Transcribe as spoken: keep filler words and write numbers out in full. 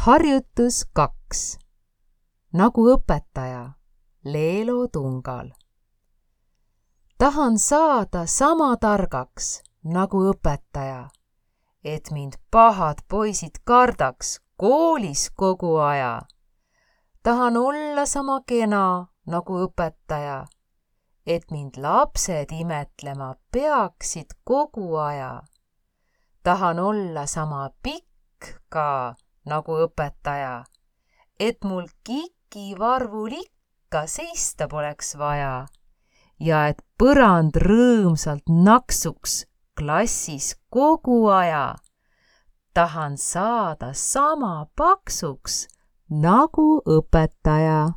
Harjutus kaks. Nagu õpetaja Leelo Tungal. Tahan saada sama targaks nagu õpetaja, et mind pahad poisid kardaks koolis kogu aja. Tahan olla sama kena nagu õpetaja, et mind lapsed imetlema peaksid kogu aja. Tahan olla sama pikk ka nagu õpetaja, et mul kikivarvul ikka seista poleks vaja ja et põrand rõõmsalt naksuks klassis kogu aja. Tahan saada sama paksuks nagu õpetaja.